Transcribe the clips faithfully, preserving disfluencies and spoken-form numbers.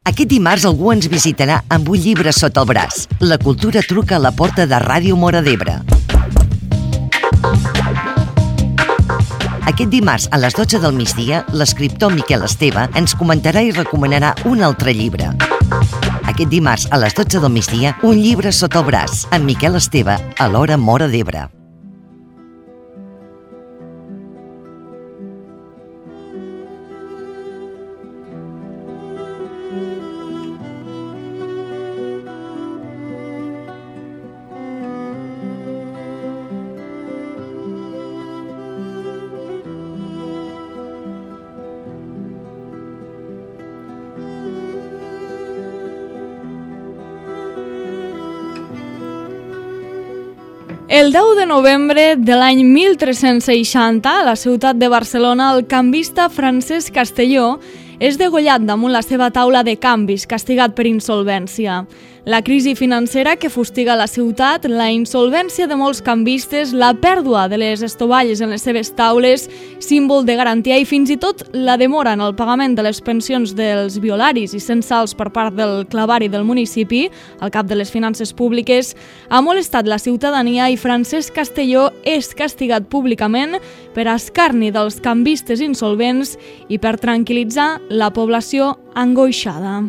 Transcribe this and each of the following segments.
Aquest dimarts algú ens visitarà amb un llibre sota el braç. La cultura truca a la porta de Ràdio Móra d'Ebre. Aquest dimarts a les dotze del migdia, l'escriptor Miquel Esteve ens comentarà i recomanarà un altre llibre. Aquest dimarts a les dotze del migdia, un llibre sota el braç, amb Miquel Esteve, a l'Hora Móra d'Ebre. El deu de novembre de l'any mil tres-cents seixanta, a la ciutat de Barcelona, el canvista Francesc Castelló és degollat damunt la seva taula de canvis, castigat per insolvència. La crisi financera que fustiga la ciutat, la insolvència de molts canvistes, la pèrdua de les estovalles en les seves taules, símbol de garantia, i fins i tot la demora en el pagament de les pensions dels violaris i censals per part del clavari del municipi, al cap de les finances públiques, ha molestat la ciutadania i Francesc Castelló és castigat públicament per escarni dels canvistes insolvents i per tranquil·litzar la població angoixada.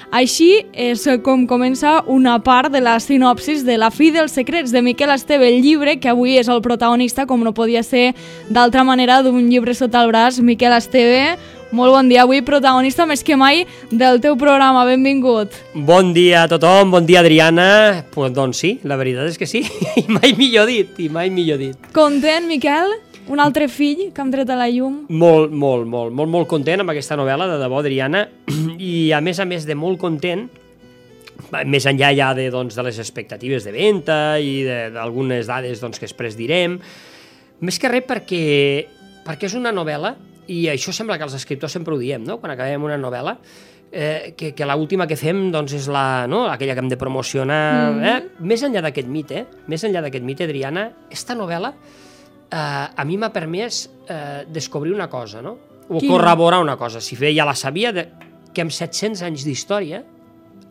Així és com comença una part de la sinopsis de La fi dels secrets de Miquel Esteve, el llibre que avui és el protagonista, com no podia ser d'altra manera, d'un llibre sota el braç. Miquel Esteve, molt bon dia, avui protagonista més que mai del teu programa, benvingut. Bon dia a tothom, bon dia Adriana. Pues, doncs sí, la veritat és que sí, i mai millor dit, i mai millor dit. Content, Miquel? Un altre fill que hem tret a la llum? Molt, molt, molt, molt, molt content amb aquesta novel·la, de debò, Adriana, i a més a més de molt content, més enllà ja de, doncs, de les expectatives de venda i d'algunes dades doncs, que després direm, més que res perquè, perquè és una novel·la, i això sembla que els escriptors sempre ho diem, no? Quan acabem una novel·la, eh, que, que l'última que fem doncs, és la, no? aquella que hem de promocionar. Mm-hmm. eh? Més enllà d'aquest mite, més enllà d'aquest mite, Adriana, esta novel·la Uh, a mi m'ha permès uh, descobrir una cosa, no? O Quina? corroborar una cosa. Si bé ja la sabia, de, que amb set-cents anys d'història,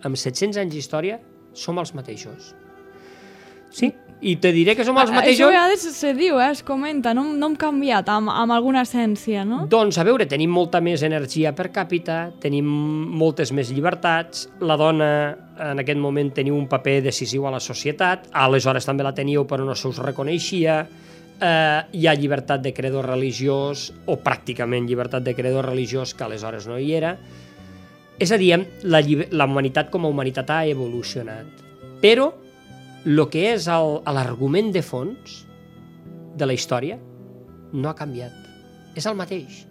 amb set-cents anys d'història, som els mateixos. Sí, i te diré que som els mateixos... Això a vegades se diu, eh? Es comenta, no, no hem canviat amb, amb alguna essència, no? Doncs, a veure, tenim molta més energia per càpita, tenim moltes més llibertats, la dona en aquest moment teniu un paper decisiu a la societat, aleshores també la teníeu però no se us reconeixia. Uh, hi ha llibertat de credo religiós, o pràcticament llibertat de credo religiós, que aleshores no hi era. És a dir, la, la humanitat com a humanitat ha evolucionat. Però el que és l'argument de fons de la història no ha canviat. És el mateix.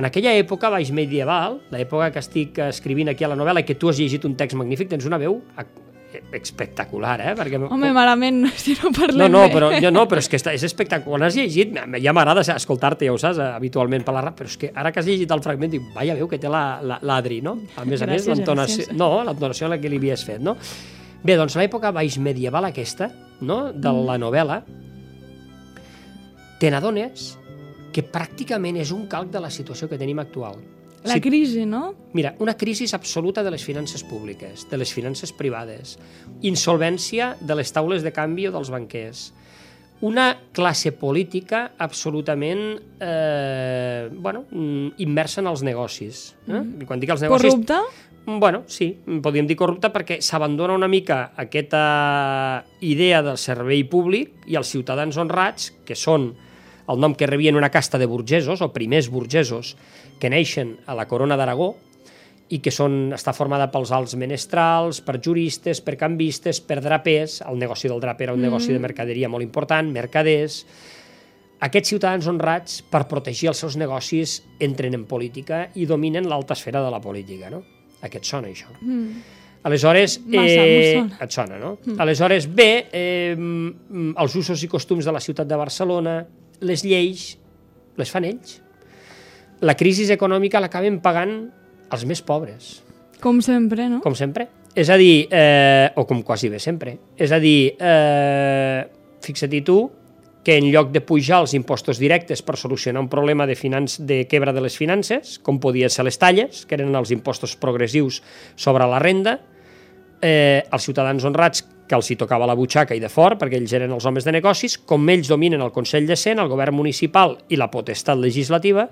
En aquella època baix medieval, l'època que estic escrivint aquí a la novel·la, i que tu has llegit un text magnífic, tens una veu espectacular, eh? Perquè... Home, malament, si no parlem no, no, bé. Però, jo, no, però és que és espectacular. Quan has llegit, ja m'agrada escoltar-te, ja ho saps, habitualment per la ràdio, però és que ara que has llegit el fragment, dic, vaja, veu que té l'Adri, no? A més a més, l'entonació... No, l'entonació en la que li havies fet, no? Bé, doncs l'època baix medieval aquesta, no?, de la novel·la, te n'adones que pràcticament és un calc de la situació que tenim actual. La sí. crisi, no? Mira, una crisi absoluta de les finances públiques, de les finances privades, insolvència de les taules de canvi o dels banquers, una classe política absolutament eh, bueno, immersa en els negocis. Eh? Mm. Quan dic els negocis... Corrupta? Bueno, sí, podríem dir corrupta perquè s'abandona una mica aquesta idea del servei públic i els ciutadans honrats, que són el nom que rebien una casta de burgesos, o primers burgesos, que neixen a la Corona d'Aragó i que són, està formada pels alts menestrals, per juristes, per canvistes, per drapers. El negoci del draper era un mm. negoci de mercaderia molt important, mercaders. Aquests ciutadans honrats, per protegir els seus negocis, entren en política i dominen l'alta esfera de la política, no? A què et sona, això? Mm. Aleshores, Massa, eh, sona. et sona, no? Mm. Aleshores, bé, eh, els usos i costums de la ciutat de Barcelona, les lleis, les fan ells. La crisi econòmica l'acaben pagant els més pobres. Com sempre, no? Com sempre. És a dir, eh, o com quasi bé sempre. És a dir, eh, fixa-t'hi tu, que en lloc de pujar els impostos directes per solucionar un problema de, finanç, de quebra de les finances, com podien ser les talles, que eren els impostos progressius sobre la renda, eh, els ciutadans honrats, que els hi tocava la butxaca i de fort, perquè ells eren els homes de negocis, com ells dominen el Consell de Cent, el govern municipal i la potestat legislativa,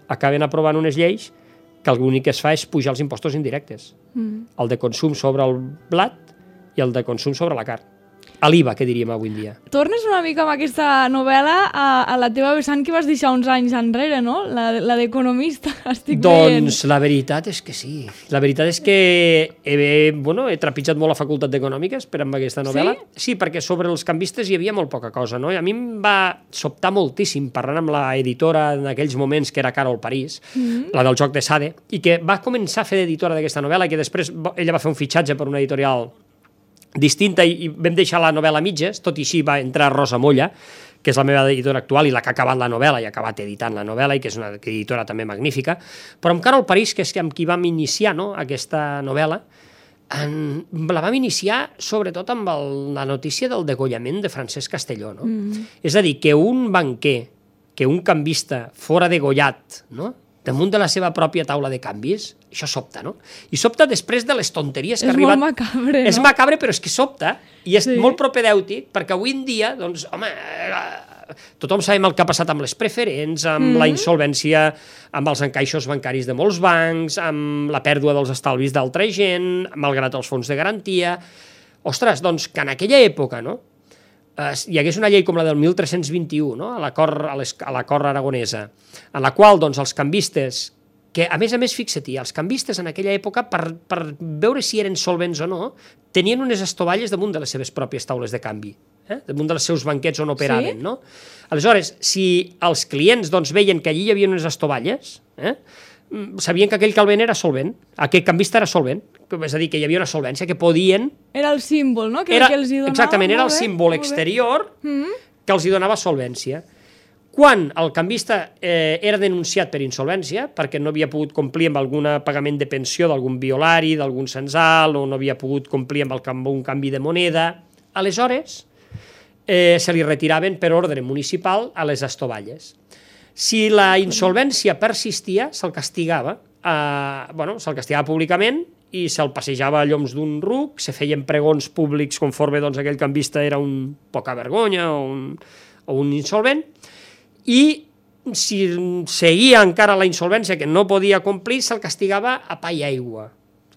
acaben aprovant unes lleis que l'únic que es fa és pujar els impostos indirectes. Mm. El de consum sobre el blat i el de consum sobre la carn. A l'I V A, que diríem avui en dia. Tornes una mica amb aquesta novel·la a, a la teva vessant que vas deixar uns anys enrere, no? La, la d'economista, estic doncs, veient. Doncs la veritat és que sí. La veritat és que he, bueno, he trepitjat molt la facultat d'Econòmiques per amb aquesta novel·la. Sí? Sí, perquè sobre els canvistes hi havia molt poca cosa, no? I a mi em va sobtar moltíssim parlant amb la editora en aquells moments, que era Carol París, mm-hmm. la del Joc de Sade, i que va començar a fer d'editora d'aquesta novel·la i que després ella va fer un fitxatge per una editorial distinta i vam deixar la novel·la a mitges, tot i així va entrar Rosa Molla, que és la meva editora actual i la que ha acabat la novel·la i ha acabat editant la novel·la i que és una editora també magnífica, però amb Carol París, que és amb qui vam iniciar, no?, aquesta novel·la, en, la vam iniciar sobretot amb el, la notícia del degollament de Francesc Castelló, no? Mm. És a dir, que un banquer, que un canvista fora degollat, no?, damunt de la seva pròpia taula de canvis, això sobta, no? I sobta després de les tonteries que ha arribat... És molt macabre, no? És macabre, però és que sobta, i és sí. molt propedèutic, perquè avui en dia, doncs, home, tothom sabem el que ha passat amb les preferents, amb mm. la insolvència, amb els encaixos bancaris de molts bancs, amb la pèrdua dels estalvis d'altra gent, malgrat els fons de garantia... Ostres, doncs, que en aquella època, no?, hi hagués una llei com la del mil tres-cents vint-i-u, no? a l'acord aragonesa, en la qual doncs, els canvistes, que a més a més, fixa-t'hi, els canvistes en aquella època, per, per veure si eren solvents o no, tenien unes estovalles damunt de les seves pròpies taules de canvi, eh? damunt dels seus banquets on operaven. Sí? No? Aleshores, si els clients doncs, veien que allí hi havia unes estovalles, eh? sabien que aquell calvent era solvent, aquell canvista era solvent, és a dir, que hi havia una solvència, que podien... Era el símbol, no?, que, era, que els hi donava... Exactament, era el símbol exterior mm-hmm. que els hi donava solvència. Quan el canvista eh, era denunciat per insolvència, perquè no havia pogut complir amb algun pagament de pensió d'algun violari, d'algun censal, o no havia pogut complir amb, el, amb un canvi de moneda, aleshores eh, se li retiraven per ordre municipal a les estovalles. Si la insolvència persistia, se'l castigava, eh, bueno, se'l castigava públicament i se'l passejava a lloms d'un ruc, se feien pregons públics conforme doncs, aquell canvista era un poca vergonya o un, o un insolvent, i si seguia encara la insolvència que no podia complir, se'l castigava a pa i aigua.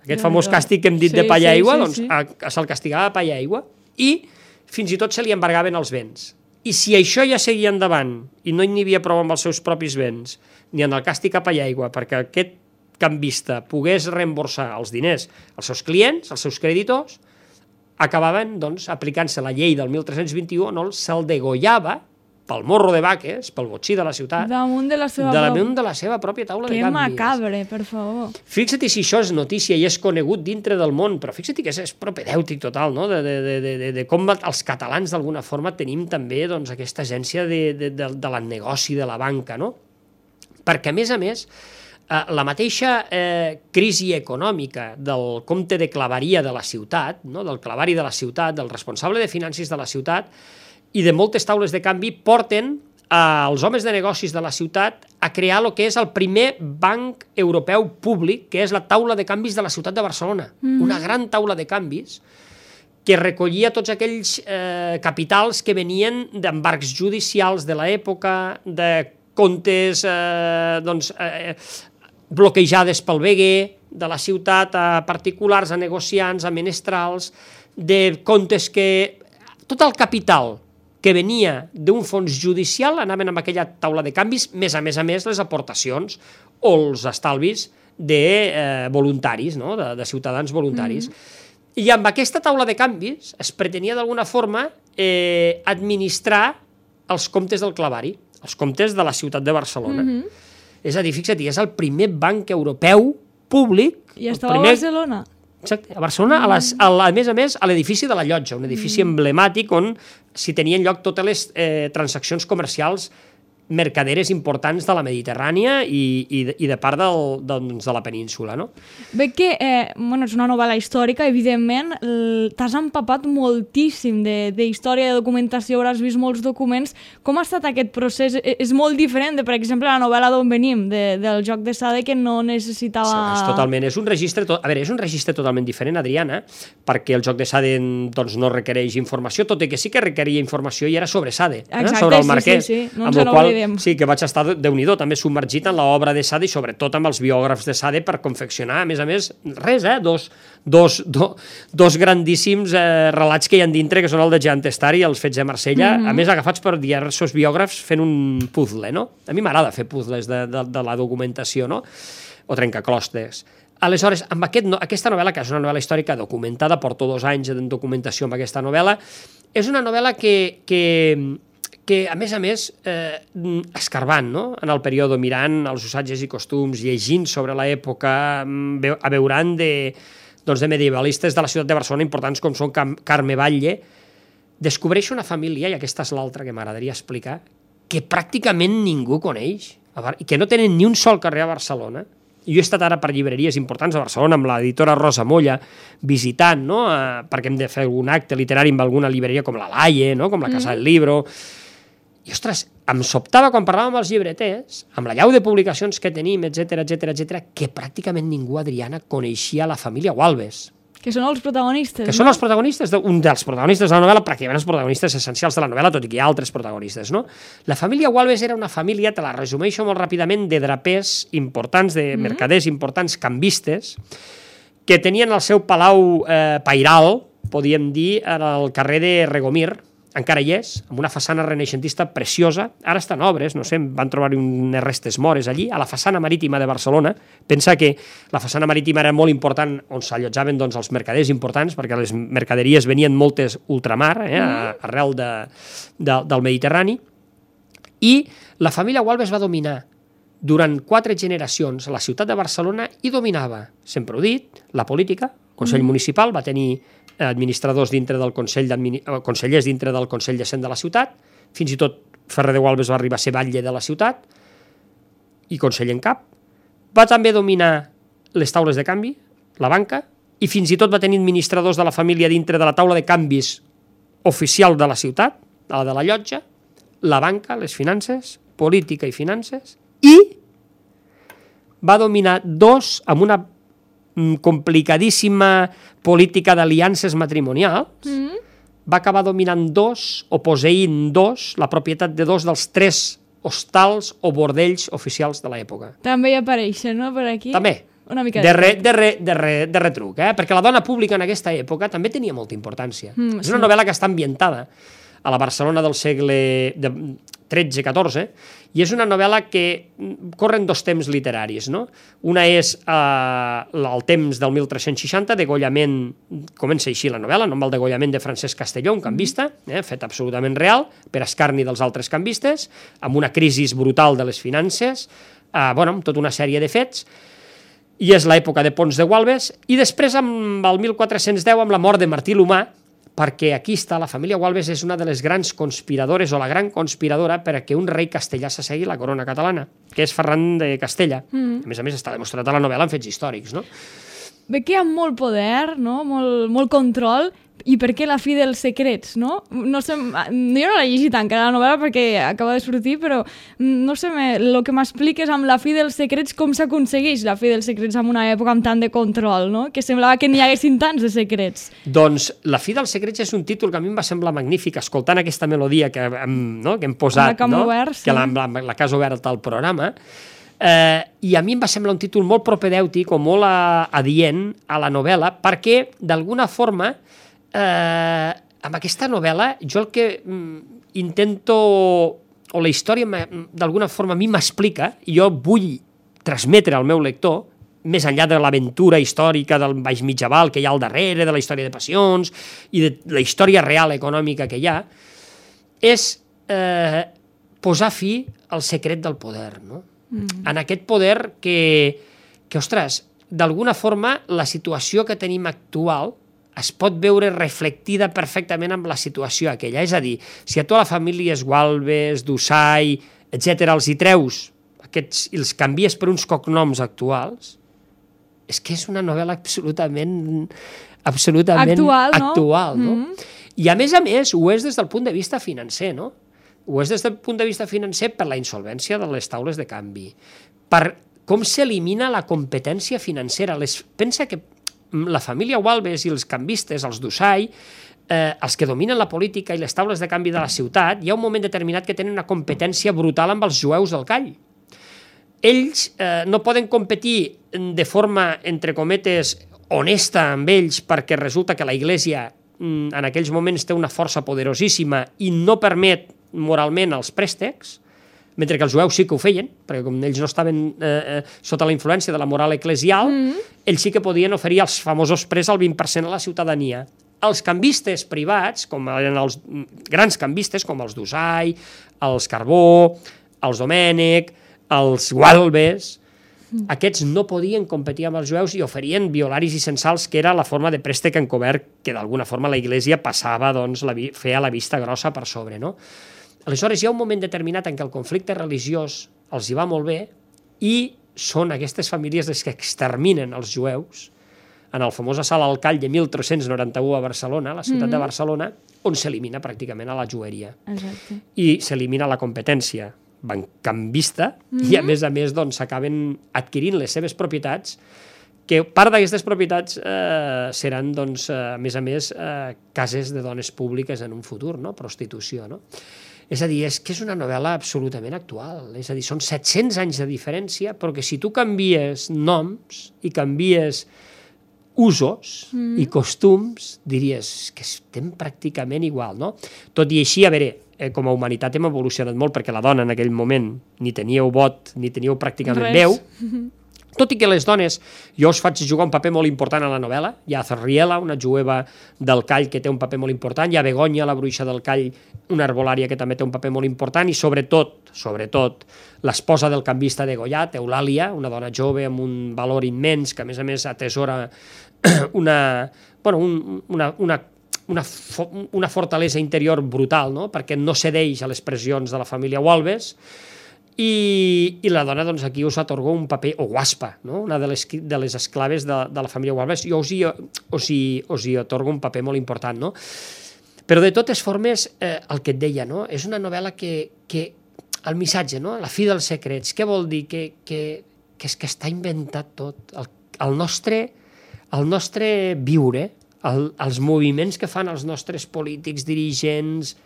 Aquest famós càstig que hem dit sí, de pa i aigua, sí, sí, doncs sí. se'l castigava a pa i aigua, i fins i tot se li embargaven els béns. I si això ja seguia endavant i no n'hi havia prou amb els seus propis béns, ni en el càstig a pa i aigua, perquè aquest canvista pogués reemborsar els diners als seus clients, als seus creditors, acabaven doncs, aplicant-se la llei del mil tres-cents vint-i-u on se'l degollava pel morro de vaques, pel botxí de la ciutat, damunt de la seva, de damunt de la seva pròpia taula que de canvis. Que macabre, per favor. Fixa't si això és notícia i és conegut dintre del món, però fixa't que és, és propedèutic total, no? de, de, de, de, de com els catalans d'alguna forma tenim també doncs, aquesta agència de, de, de, de la negoci de la banca, no? Perquè, a més a més, eh, la mateixa eh, crisi econòmica del comte de claveria de la ciutat, no? del clavari de la ciutat, del responsable de finances de la ciutat, i de moltes taules de canvi porten als homes de negocis de la ciutat a crear el que és el primer banc europeu públic, que és la taula de canvis de la ciutat de Barcelona. Mm. Una gran taula de canvis que recollia tots aquells eh, capitals que venien d'embarcs judicials de l'època, de comptes eh, doncs, eh, bloquejades pel B G, de la ciutat a particulars, a negociants, a menestrals, de comptes que... Tot el capital que venia d'un fons judicial anaven amb aquella taula de canvis, més a més a més les aportacions o els estalvis de eh, voluntaris, no? de, de ciutadans voluntaris. Mm. I amb aquesta taula de canvis es pretenia d'alguna forma eh, administrar els comptes del clavari, els comptes de la ciutat de Barcelona. Mm-hmm. És a dir, fixa't, és el primer banc europeu públic... I estava primer... a Barcelona. Exacte, a Barcelona, a, les, a, la, a més a més, a l'edifici de la Llotja, un edifici mm. emblemàtic on s'hi tenien lloc totes les eh, transaccions comercials mercaderes importants de la Mediterrània i, i, de, i de part del, doncs, de la península, no? Veig que eh, bueno, és una novel·la històrica, evidentment, t'has empapat moltíssim de, de història, de documentació, hauràs vist molts documents. Com ha estat aquest procés? És molt diferent de, per exemple, la novel·la d'on venim, de, del Joc de Sade, que no necessitava... Sí, és totalment, és un registre, to... a veure, és un registre totalment diferent, Adriana, perquè el Joc de Sade doncs, no requereix informació, tot i que sí que requeria informació i era sobre Sade, eh? Exacte, sobre el sí, Marquès, sí, sí. No amb el qual sí que vaig estar, Déu-n'hi-do, també submergit en l'obra de Sade i sobretot amb els biògrafs de Sade per confeccionar, a més a més, res, eh? Dos, dos, do, dos grandíssims eh, relats que hi ha dintre, que són el de Jean Testari i els fets de Marsella, mm -hmm. a més agafats per diversos biògrafs fent un puzzle, no? A mi m'agrada fer puzzles de, de, de la documentació, no? O trencaclostes. Aleshores, amb aquest, no, aquesta novel·la, que és una novel·la històrica documentada, porto dos anys de documentació amb aquesta novel·la, és una novel·la que... que que, a més a més, eh, escarbant, no?, en el període, mirant els usatges i costums, llegint sobre l'època, abeurant de, doncs, de medievalistes de la ciutat de Barcelona importants com són Carme Batlle, descobreix una família, i aquesta és l'altra que m'agradaria explicar, que pràcticament ningú coneix, i que no tenen ni un sol carrer a Barcelona. Jo he estat ara per llibreries importants a Barcelona amb l'editora Rosa Molla visitant, no?, eh, perquè hem de fer algun acte literari amb alguna llibreria com la Laie, no?, com la Casa mm. del Libro. I, ostres, em sobtava quan parlàvem amb els llibreters, amb la llau de publicacions que tenim, etcètera, etcètera, etcètera, que pràcticament ningú, Adriana, coneixia la família Gualbes. Que són els protagonistes. Que no? són els protagonistes, un dels protagonistes de la novel·la, pràcticament els protagonistes essencials de la novel·la, tot i que hi ha altres protagonistes, no? La família Gualbes era una família, te la resumeixo molt ràpidament, de drapers importants, de mm-hmm. mercaders importants, canvistes, que tenien el seu palau eh, pairal, podíem dir, al carrer de Regomir, encara hi és, amb una façana renaixentista preciosa, ara estan obres, no sé, van trobar unes restes mores allí, a la façana marítima de Barcelona. Pensa que la façana marítima era molt important, on s'allotjaven doncs, els mercaders importants, perquè les mercaderies venien moltes ultramar, eh, arrel de, de, del Mediterrani, i la família Gualbes va dominar durant quatre generacions la ciutat de Barcelona i dominava, sempre ho he dit, la política, el Consell mm. Municipal va tenir administradors dintre del Consell consellers dintre del Consell de Cent de la ciutat, fins i tot Ferrer de Gualbes va arribar a ser batlle de la ciutat i conseller en cap. Va també dominar les taules de canvi, la banca, i fins i tot va tenir administradors de la família dintre de la taula de canvis oficial de la ciutat, la de la llotja, la banca, les finances, política i finances, i va dominar dos amb una complicadíssima política d'aliances matrimonials, mm-hmm. va acabar dominant dos, o posseint dos, la propietat de dos dels tres hostals o bordells oficials de l'època. També hi apareixen, no?, per aquí? També. Una mica de, re, de, re, de, re, de retruc, eh? Perquè la dona pública en aquesta època també tenia molta importància. Mm, és una sí. novel·la que està ambientada a la Barcelona del segle tretze catorze, i és una novel·la que corren dos temps literaris, no? Una és eh, el temps del mil tres-cents seixanta, degollament, comença així la novel·la, no? Amb el degollament de Francesc Castelló, un canvista, eh, fet absolutament real, per escarni dels altres canvistes, amb una crisi brutal de les finances, eh, bueno, amb tota una sèrie de fets, i és l'època de Pons de Gualbes, i després, amb el mil quatre-cents deu, amb la mort de Martí l'Humà, perquè aquí està, la família Gualbes és una de les grans conspiradores, o la gran conspiradora, perquè un rei castellà s'assegui la corona catalana, que és Ferran de Castella. Mm. A més a més, està demostrat a la novel·la en fets històrics, no? Ve que hi ha molt poder, no? Molt, molt control, i per què la fi dels secrets, no? No sé, jo no l'he llegit encara la novel·la perquè acaba de sortir, però no sé, el que m'expliques amb la fi dels secrets, com s'aconsegueix la fi dels secrets en una època amb tant de control, no? Que semblava que n'hi haguessin tants de secrets. Doncs La fi dels secrets és un títol que a mi em va semblar magnífic, escoltant aquesta melodia que hem, no? que hem posat, no? Obert, sí. que la, la, la que has obert al programa, eh, i a mi em va semblar un títol molt propedèutic o molt adient a la novel·la, perquè d'alguna forma Eh, amb aquesta novel·la jo el que mm, intento, o la història d'alguna forma a mi m'explica, i jo vull transmetre al meu lector, més enllà de l'aventura històrica del baix mitjaval que hi ha al darrere, de la història de passions i de la història real econòmica que hi ha, és eh, posar fi al secret del poder, no? Mm. En aquest poder que, que ostres, d'alguna forma la situació que tenim actual es pot veure reflectida perfectament amb la situació aquella. És a dir, si a tu a la família Gualbes, Dusai, etcètera, els hi treus aquests, i els canvies per uns cognoms actuals, és que és una novel·la absolutament, absolutament actual, no? actual, no? Mm-hmm. I a més a més ho és des del punt de vista financer, no? Ho és des del punt de vista financer per la insolvència de les taules de canvi, per com s'elimina la competència financera. Les, pensa que la família Walbes i els canvistes, els Dusai, eh, els que dominen la política i les taules de canvi de la ciutat, hi ha un moment determinat que tenen una competència brutal amb els jueus del Call. Ells eh, no poden competir de forma, entre cometes, honesta amb ells, perquè resulta que la Iglesia en aquells moments té una força poderosíssima i no permet moralment els préstecs, mentre que els jueus sí que ho feien, perquè com ells no estaven eh, sota la influència de la moral eclesial, mm. ells sí que podien oferir els famosos préstecs al vint per cent a la ciutadania. Els canvistes privats, com eren els grans canvistes, com els Dusai, els Carbó, els Domènech, els Walbes, mm. aquests no podien competir amb els jueus i oferien violaris i censals, que era la forma de préstec encobert que d'alguna forma la Iglesia passava, doncs, la, feia la vista grossa per sobre, no? Aleshores, hi ha un moment determinat en què el conflicte religiós els hi va molt bé i són aquestes famílies les que exterminen els jueus en el famós assalt al Call de mil tres-cents noranta-u a Barcelona, a la ciutat mm-hmm. de Barcelona, on s'elimina pràcticament a la jueria. Exacte. I s'elimina la competència bancambista mm-hmm. i, a més a més, doncs, s'acaben adquirint les seves propietats, que part d'aquestes propietats eh, seran, doncs, eh, a més a més, eh, cases de dones públiques en un futur, no? Prostitució, no? És a dir, és que és una novel·la absolutament actual. És a dir, són set-cents anys de diferència, però que si tu canvies noms i canvies usos mm. i costums, diries que estem pràcticament igual, no? Tot i així, a veure, eh, com a humanitat hem evolucionat molt, perquè la dona en aquell moment ni teníeu vot, ni teníeu pràcticament Res. veu, tot i que les dones, jo us faig jugar un paper molt important a la novel·la, hi ha Zarriela, una jueva del Call que té un paper molt important, hi ha Begoña, la bruixa del Call, una herbolària que també té un paper molt important, i sobretot, sobretot, l'esposa del canvista de Goiat, Eulàlia, una dona jove amb un valor immens, que a més a més atesora una, bueno, un, una, una, una, una fortalesa interior brutal, no? Perquè no cedeix a les pressions de la família Walbes, I, i la dona, doncs, aquí us atorga un paper, o guaspa, no? Una de les, de les esclaves de, de la família Walbes, jo us hi, us, hi, us hi atorga un paper molt important, no? Però de totes formes, eh, el que et deia, no? És una novel·la que, que el missatge, no? La fi dels secrets, què vol dir? Que, que, que és que està inventat tot. El, el, nostre, el nostre viure, el, els moviments que fan els nostres polítics, dirigents,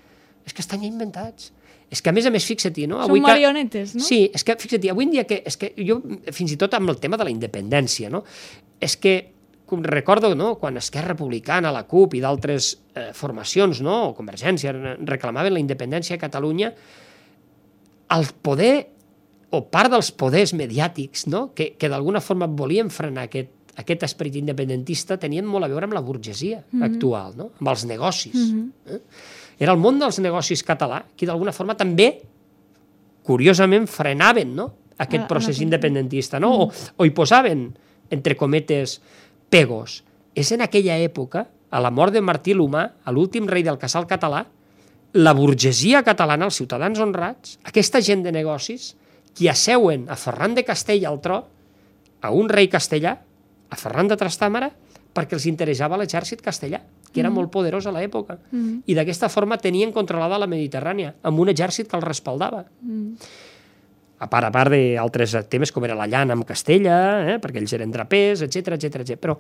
és que estan ja inventats. És que, a més a més, fixa-t'hi, no? Són marionetes, no? Sí, és que, fixa-t'hi, avui en dia, que, és que jo, fins i tot amb el tema de la independència, no? És que, com recordo, no? Quan Esquerra Republicana, la CUP i d'altres eh, formacions, no? O Convergència, reclamaven la independència a Catalunya, el poder, o part dels poders mediàtics, no? Que, que d'alguna forma volien frenar aquest, aquest esperit independentista, tenien molt a veure amb la burgesia mm-hmm. actual, no? Amb els negocis. Mm-hmm. eh? Era el món dels negocis català, que d'alguna forma també, curiosament, frenaven, no? Aquest procés independentista, no? O, o hi posaven, entre cometes, pegos. És en aquella època, a la mort de Martí l'Humà, a l'últim rei del casal català, la burgesia catalana, els ciutadans honrats, aquesta gent de negocis, qui asseuen a Ferran de Castella al tro, a un rei castellà, a Ferran de Trastàmara, perquè els interessava l'exèrcit castellà, que era mm. molt poderós a l'època. Mm. I d'aquesta forma tenien controlada la Mediterrània, amb un exèrcit que el respaldava. Mm. A part, a part d'altres temes, com era la llana amb Castella, eh, perquè ells eren drapers, etcètera, etcètera, etcètera. Però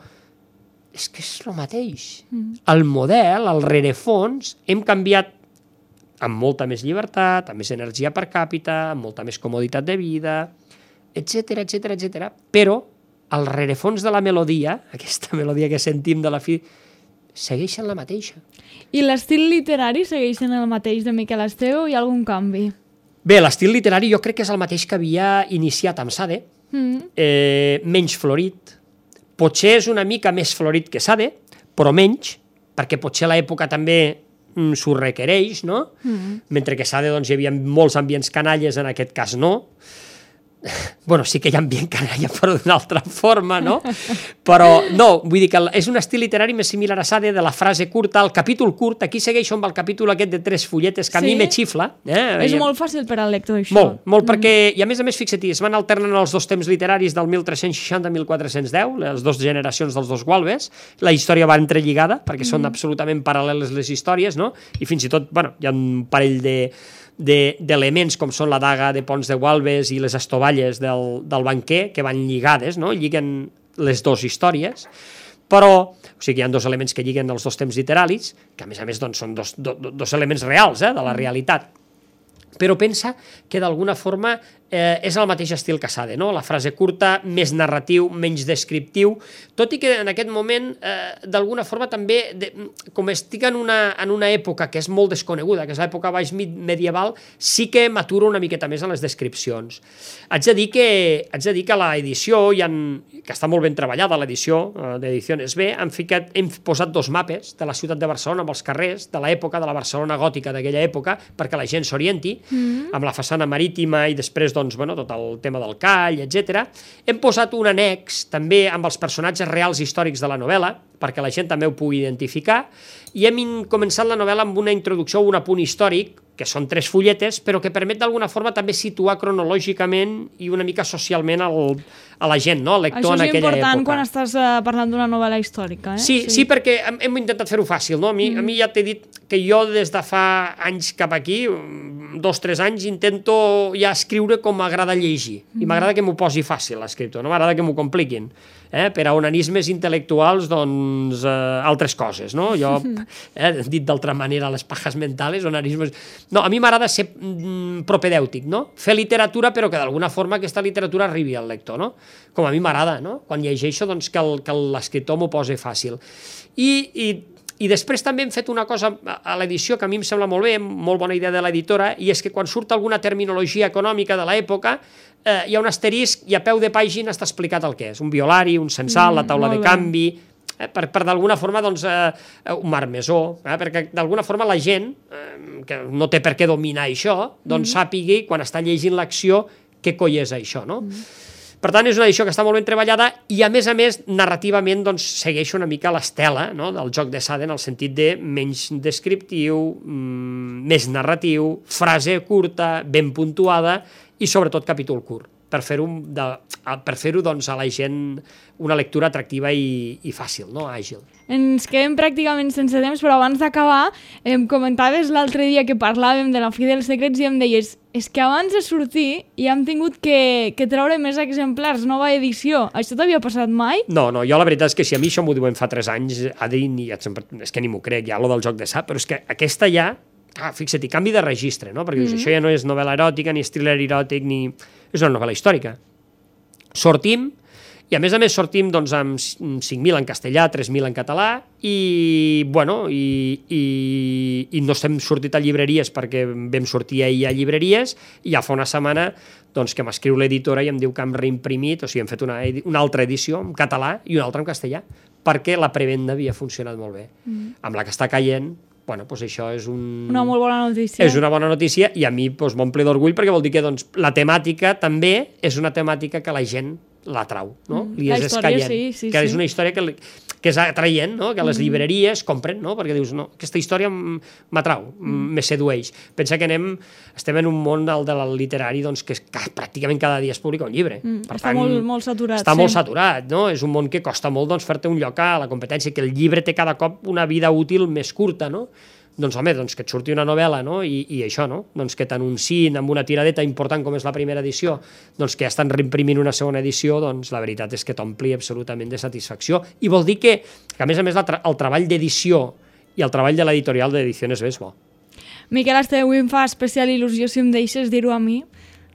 és que és el mateix. Mm. El model, el rerefons, hem canviat amb molta més llibertat, amb més energia per càpita, amb molta més comoditat de vida, etcètera, etcètera, etcètera. Però el rerefons de la melodia, aquesta melodia que sentim de la fi, segueixen la mateixa. I l'estil literari segueixen el mateix de Miquel Esteve o hi ha algun canvi? Bé, l'estil literari jo crec que és el mateix que havia iniciat amb Sade, mm. eh, menys florit. Potser és una mica més florit que Sade, però menys, perquè potser l'època també mm, s'ho requereix, no? Mm. Mentre que Sade doncs, hi havia molts ambients canalles, en aquest cas no. bueno, sí que hi ha ambient canalla, però d'una altra forma, no? Però, no, vull dir que és un estil literari més similar a Sade, de la frase curta, el capítol curt, aquí segueixo amb el capítol aquest de tres fulletes, que a sí? mi me xifla. Eh? És molt fàcil per al lector, això. Molt, molt, mm. perquè, i a més a més, fixa-t'hi, es van alternant els dos temps literaris del mil tres-cents seixanta a mil quatre-cents deu, les dues generacions dels dos Gualbes, la història va entrelligada, perquè mm. són absolutament paral·leles les històries, no? I fins i tot, bueno, hi ha un parell de d'elements com són la daga de Pons de Gualbes i les estovalles del, del banquer que van lligades, no? Lliguen les dues històries, però o sigui, hi ha dos elements que lliguen els dos temps literaris, que a més a més doncs, són dos, do, dos elements reals eh, de la realitat. Però pensa que d'alguna forma eh, és el mateix estil que Sade, no? La frase curta, més narratiu, menys descriptiu, tot i que en aquest moment eh, d'alguna forma també, de, com estic en una, en una època que és molt desconeguda, que és l'època baix medieval, sí que maturo una miqueta més en les descripcions. Haig de dir que, haig de dir que a l'edició, ha, que està molt ben treballada l'edició eh, d'Ediciones B, han ficat, hem posat dos mapes de la ciutat de Barcelona amb els carrers de l'època, de la Barcelona gòtica d'aquella època, perquè la gent s'orienti, Mm. amb la façana marítima i després doncs, bueno, tot el tema del call, etcètera. Hem posat un annex també amb els personatges reals històrics de la novel·la, perquè la gent també ho pugui identificar, i hem començat la novel·la amb una introducció o un apunt històric, que són tres fulletes, però que permet d'alguna forma també situar cronològicament i una mica socialment el, a la gent, no? El lector en aquella època. Això és important quan estàs uh, parlant d'una novel·la històrica. Eh? Sí, sí, sí, perquè hem, hem intentat fer-ho fàcil, no? A mi, mm. a mi ja t'he dit que jo des de fa anys cap aquí, dos, tres anys, intento ja escriure com m'agrada llegir. Mm. I m'agrada que m'ho posi fàcil, l'escriptor, no m'agrada que m'ho compliquin. Eh? Per a onanismes intel·lectuals, doncs, eh, altres coses, no? Jo, eh, dit d'altra manera, les pajas mentales, onanismes... No, a mi m'agrada ser mm, propedèutic, no? Fer literatura, però que d'alguna forma aquesta literatura arribi al lector, no? Com a mi m'agrada, no? Quan llegeixo, doncs, que l'escriptor m'ho posi fàcil. I, i, I després també hem fet una cosa a l'edició que a mi em sembla molt bé, molt bona idea de l'editora, i és que quan surt alguna terminologia econòmica de l'època, eh, hi ha un asterisc i a peu de pàgina està explicat el que és. Un violari, un censal, mm, la taula de canvi... Eh, per, per d'alguna forma, doncs, eh, un marmesó, eh, perquè d'alguna forma la gent, eh, que no té per què dominar això, doncs mm. sàpigui, quan està llegint l'acció, què coi és això, no? Mm. Per tant, és una edició que està molt ben treballada i, a més a més, narrativament, doncs, segueix una mica l'estela, no?, del joc de Sade, en el sentit de menys descriptiu, mm, més narratiu, frase curta, ben puntuada i, sobretot, capítol curt, per fer-ho per fer-ho doncs, a la gent una lectura atractiva i, i fàcil, no? Àgil. Ens quedem pràcticament sense temps, però abans d'acabar, em comentaves l'altre dia que parlàvem de la Fi dels Secrets i em deies és que abans de sortir ja hem tingut que, que treure més exemplars, nova edició. Això t'havia passat mai? No, no, jo la veritat és que si a mi això m'ho diuen fa tres anys, Adri, ni, és que ni m'ho crec, ja, lo del joc de Sade, però és que aquesta ja, ah, fixa't, canvi de registre, no? Perquè mm-hmm. dius, això ja no és novel·la eròtica, ni thriller eròtic, ni... és una novel·la històrica. Sortim, i a més a més sortim doncs, amb cinc mil en castellà, tres mil en català, i, bueno, i, i, i no estem sortit a llibreries perquè vam sortir ahir a llibreries, i ja fa una setmana doncs, que m'escriu l'editora i em diu que hem reimprimit, o sigui, hem fet una, una altra edició en català i una altra en castellà, perquè la prevenda havia funcionat molt bé. Mm. Amb la que està caient, bueno, doncs això és un... una molt bona notícia. És una bona notícia i a mi doncs, m'omple d'orgull perquè vol dir que doncs, la temàtica també és una temàtica que la gent l'atrau, no? Mm, Li la és història, escaient, sí, sí, que sí. és una història que, li, que és atraient, no? Que les mm. llibreries compren, no? Perquè dius, no, aquesta història m'atrau, mm. me sedueix. Pensa que anem, estem en un món del, del literari doncs, que, que pràcticament cada dia es publica un llibre. Mm. Per està tant, molt, molt saturat. Està sí. molt saturat, no? És un món que costa molt doncs, fer-te un lloc a la competència, que el llibre té cada cop una vida útil més curta, no? Doncs, home, doncs que et surti una novel·la, no? I, i això, no? Doncs que t'anunciïn amb una tiradeta important com és la primera edició, doncs que ja estan reimprimint una segona edició, doncs la veritat és que t'ompli absolutament de satisfacció. I vol dir que, que a més a més, tra el treball d'edició i el treball de l'editorial d'Ediciones B és bo. Miquel Esteve, avui em fa especial il·lusió, si em deixes dir-ho a mi.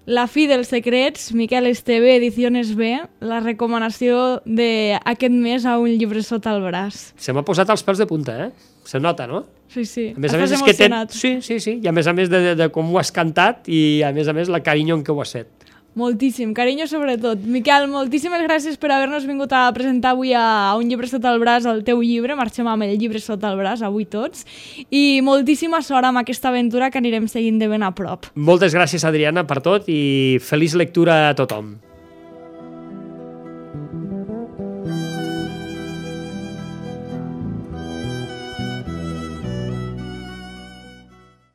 La Fi dels Secrets, Miquel Esteve, Ediciones B, la recomanació d'aquest mes a un llibre sota el braç. Se m'ha posat els pèls de punta, eh? Se nota, no? Sí, sí. A més a més, és que ten... Sí, sí, sí. I a més a més de, de, de com ho has cantat i a més a més la carinyo en què ho has fet. Moltíssim, carinyo sobretot. Miquel, moltíssimes gràcies per haver-nos vingut a presentar avui a Un llibre sota el braç el teu llibre. Marxem amb el llibre sota el braç, avui tots. I moltíssima sort amb aquesta aventura que anirem seguint de ben a prop. Moltes gràcies, Adriana, per tot i feliç lectura a tothom.